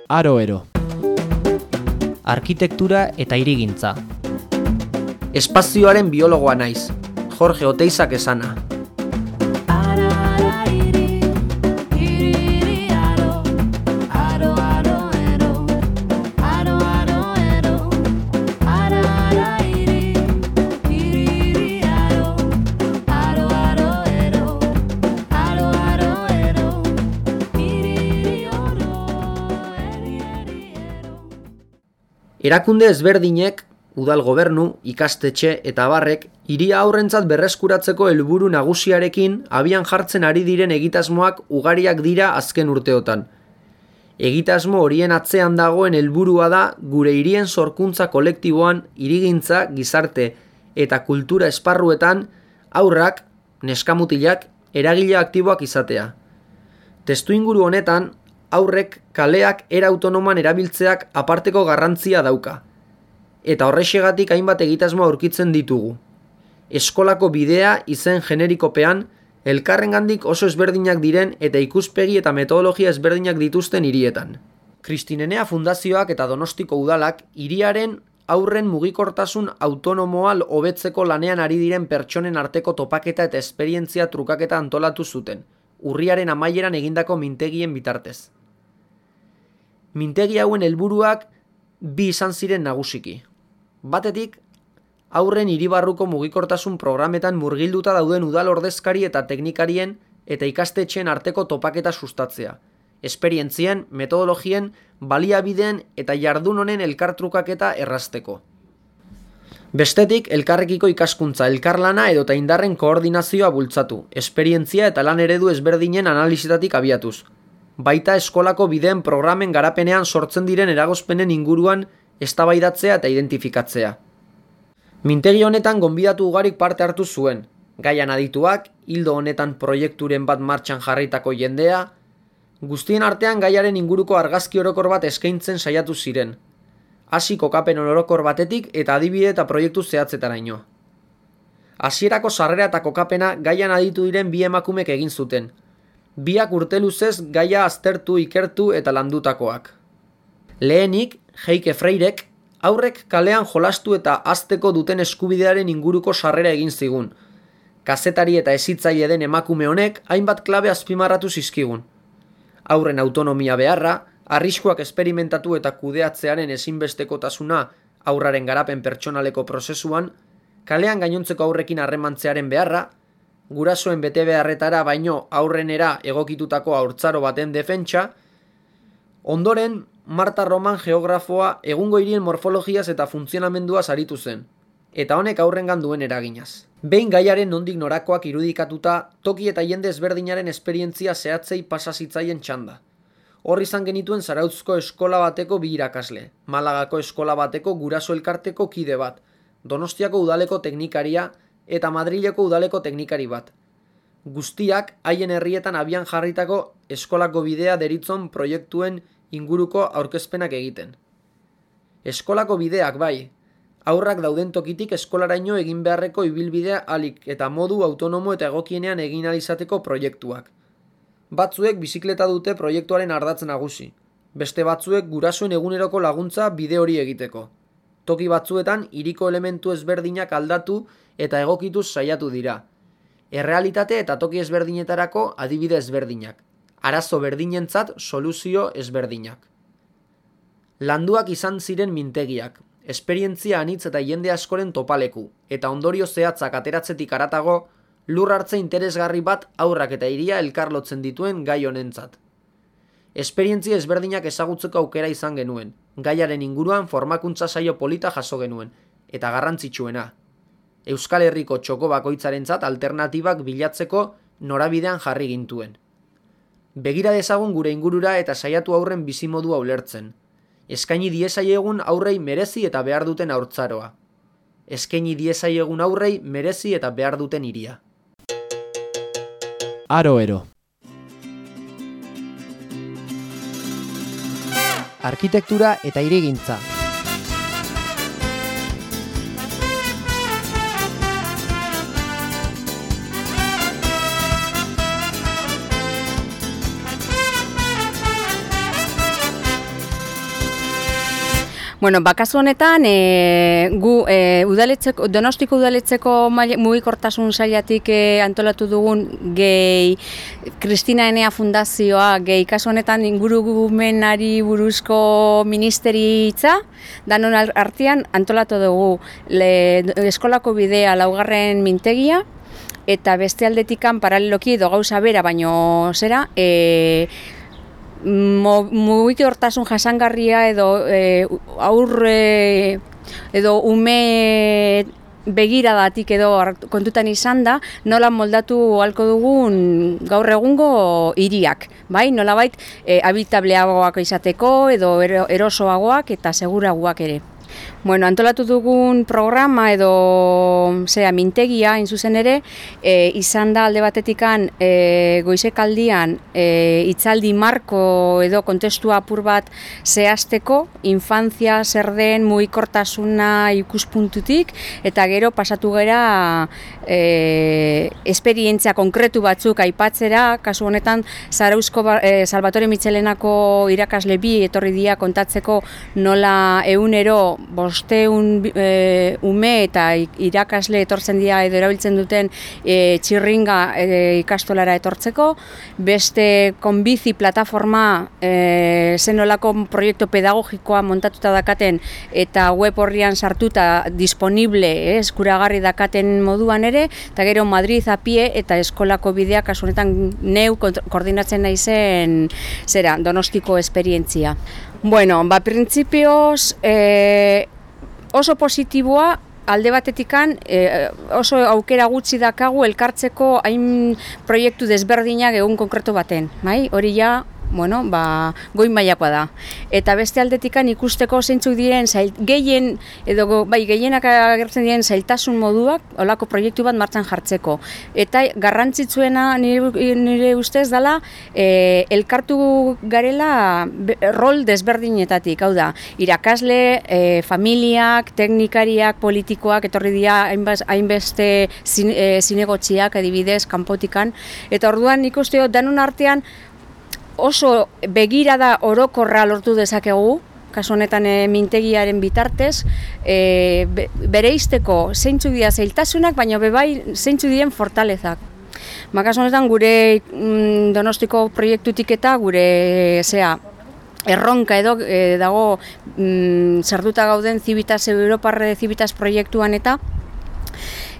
Aro-ero. Arkitektura eta hirigintza. Espazioaren biologoa naiz, Jorge Oteizak esana. Erakunde ezberdinek, udal gobernu, ikastetxe eta abarrek, hiria aurrentzat berreskuratzeko helburu nagusiarekin abian jartzen ari diren egitasmoak ugariak dira azken urteotan. Egitasmo horien atzean dagoen helburua da gure hirien sorkuntza kolektiboan hirigintza, gizarte eta kultura esparruetan haurrak, neskamutilak, eragile aktiboak izatea. Testuinguru honetan, haurrek kaleak era autonomoan erabiltzeak aparteko garrantzia dauka. Eta horrexegatik hainbat egitasmo aurkitzen ditugu. Eskolako bidea izen generikopean, elkarrengandik oso ezberdinak diren eta ikuspegi eta metodologia ezberdinak dituzten hirietan. Kristinenea Fundazioak eta Donostiko Udalak hiriaren haurren mugikortasun autonomoa hobetzeko lanean ari diren pertsonen arteko topaketa eta esperientzia trukaketa antolatu zuten, urriaren amaieran egindako mintegien bitartez. Mintegi hauen helburuak bi izan ziren nagusiki. Batetik, haurren hiribarruko mugikortasun programetan murgilduta dauden udal ordezkari eta teknikarien eta ikastetxeen arteko topaketa sustatzea, esperientzien, metodologien, baliabideen eta jardun honen elkartrukaketa errazteko. Bestetik, elkarrekiko ikaskuntza, elkarlana edota indarren koordinazioa bultzatu, esperientzia eta lan eredu ezberdinen analizitatik abiatuz. Baita eskolako bideen programen garapenean sortzen diren eragozpenen inguruan eztabaidatzea eta identifikatzea. Mintegi honetan gonbidatu ugarik parte hartu zuen, gaian adituak, ildo honetan proiekturen bat martxan jarritako jendea, guztien artean gaiaren inguruko argazki orokor bat eskaintzen saiatu ziren, hasi kokapen orokor batetik eta adibide eta proiektu zehatzetaraino. Hasierako sarrera eta kokapena gaian aditu diren bi emakumek egin zuten, biak urte luzez gaia aztertu, ikertu eta landutakoak. Lehenik, Heike Freirek, haurrek kalean jolastu eta hazteko duten eskubidearen inguruko sarrera egin zigun. Kazetari eta hezitzaile den emakume honek hainbat klabe azpimarratu zizkigun. Haurren autonomia beharra, arriskuak esperimentatu eta kudeatzearen ezinbestekotasuna haurraren garapen pertsonaleko prozesuan, kalean gainontzeko haurrekin harremantzearen beharra, gurasoen betebeharretara baino aurrenera egokitutako haurtzaro baten defentsa, ondoren Marta Roman geografoa egungo hirien morfologiaz eta funtzionamenduaz aritu zen, eta honek aurrengan duen eraginaz. Behin gaiaren nondik norakoak irudikatuta, toki eta jende ezberdinaren esperientzia zehatzei pasa zitzaien txanda. Hor izan genituen Zarautzko eskola bateko bi irakasle, Malagako eskola bateko guraso elkarteko kide bat, Donostiako udaleko teknikaria eta Madrileko udaleko teknikari bat. Guztiak haien herrietan abian jarritako eskolako bidea deritzon proiektuen inguruko aurkezpenak egiten. Eskolako bideak bai, haurrak dauden tokitik eskolaraino egin beharreko ibilbidea alik eta modu autonomo eta egokienean egin ahal izateko proiektuak. Batzuek bizikleta dute proiektuaren ardatz nagusi, beste batzuek gurasoen eguneroko laguntza bide hori egiteko. Toki batzuetan hiriko elementu ezberdinak aldatu eta egokituz saiatu dira. Errealitate eta toki ezberdinetarako adibide ezberdinak. Arazo berdinentzat soluzio ezberdinak. Landuak izan ziren mintegiak, esperientzia anitz eta jende askoren topaleku, eta ondorio zehatzak ateratzetik haratago, lur hartze interesgarri bat haurrak eta hiria elkarlotzen dituen gai honentzat. Esperientzia ezberdinak ezagutzeko aukera izan genuen, gaiaren inguruan formakuntza saio polita jaso genuen, eta garrantzitsuena. Euskal Herriko txoko bakoitzarentzat alternatibak bilatzeko norabidean jarri gintuen. Begira dezagun gure ingurura eta saiatu haurren bizimodua ulertzen. Eskaini diezaiegun aurrei merezi eta behar duten haurtzaroa. Eskaini diezaiegun aurrei merezi eta behar duten hiria. Aro-ero. Arkitektura eta hirigintza. Bueno, bakazu honetan, gu Donostiko udaletxeko mugikortasun sailatik antolatu dugun gehi Kristina Enea Fundazioa, gehi kasu honetan ingurumenari buruzko ministeritza, danon artean antolatu dugu eskolako bidea 4. mintegia, eta beste aldetikan paraleloki edo gauza bera, baino zera, mugikortasun jasangarria edo aurre edo ume begiradatik edo kontutan izan da, nola moldatu ahalko dugun gaur egungo hiriak, bai? Nolabait habitableagoak izateko edo erosoagoak eta seguragoak ere. Bueno, antolatu dugun programa edo mintegia, zuzen ere, izan da alde batetikan goizekaldian hitzaldi marko edo kontestu apur bat zehazteko, infantzia zer den mugikortasuna ikuspuntutik, eta gero pasatu gera esperientzia konkretu batzuk aipatzera, kasu honetan Zarauzko Salvatore Mitxelenako irakasle bi etorri dira kontatzeko nola egunero 500 ume eta irakasle etortzen dira edo erabiltzen duten txirringa ikastolara etortzeko, beste konbizi plataforma zenolako proiektu pedagogikoa montatuta dakaten eta web horrian sartuta disponible eskuragarri dakaten moduan ere, eta gero Madrid a pie eta eskolako bidea kasu honetan neu koordinatzen naizen Donostiko esperientzia. Bueno, printzipioz oso positiboa, alde batetikan oso aukera gutxi dakagu elkartzeko hain proiektu desberdinak egun konkretu baten, bai? Hori ja, goi mailakoa da. Eta beste aldetikan ikusteko zeintzuk diren gehienak agertzen diren zailtasun moduak holako proiektu bat martxan jartzeko. Eta garrantzitsuena nire ustez dela elkartu garela rol desberdinetatik, hau da, irakasle, familiak, teknikariak, politikoak, etorri dira hainbeste zinegotziak adibidez, kanpotikan, eta orduan ikusteo danon artean oso begirada orokorra lortu dezakegu, kasu honetan mintegiaren bitartez, bereizteko zeintzuk dira zailtasunak, baina bebai zeintzuk diren fortalezak. Kasu honetan gure Donostiko proiektutik eta gure erronka edo dago sartuta gauden Europar Civitas proiektuan eta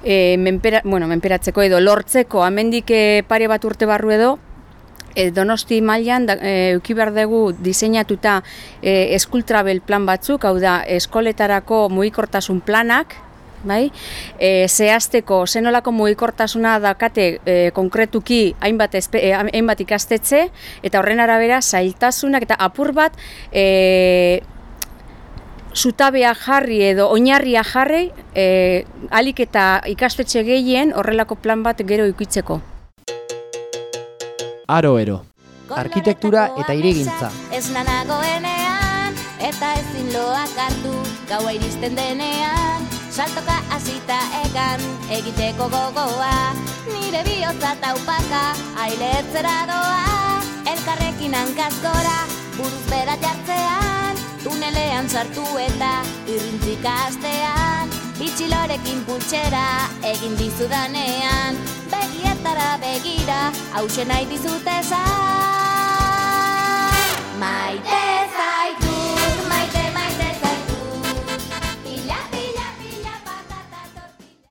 menperatzeko edo lortzeko hemendik pare bat urte barru edo Donosti mailan eduki behar dugu diseinatuta school travel plan batzuk, hau da, eskoletarako mugikortasun planak, bai? Zehazteko zenolako mugikortasuna dakate konkretuki hainbat ikastetxe, eta horren arabera zailtasunak eta apur bat zutabea jarri edo oinarria jarri ahalik eta ikastetxe gehien horrelako plan bat gero ikitzeko. Aro-ero. Arkitektura eta hirigintza. Ez nanagoenean, eta ezin loak hartu, gaua iristen denean, saltoka hasita egan, egiteko gogoa, nire bihotza taupaka, ailetzera doa, elkarrekin hankaz gora, buruz bera jartzean, tunelean sartu eta irrintzika astean, bitxilorekin pultsera, egin dizudanean, begietara begira, hausen nahi dizut esan.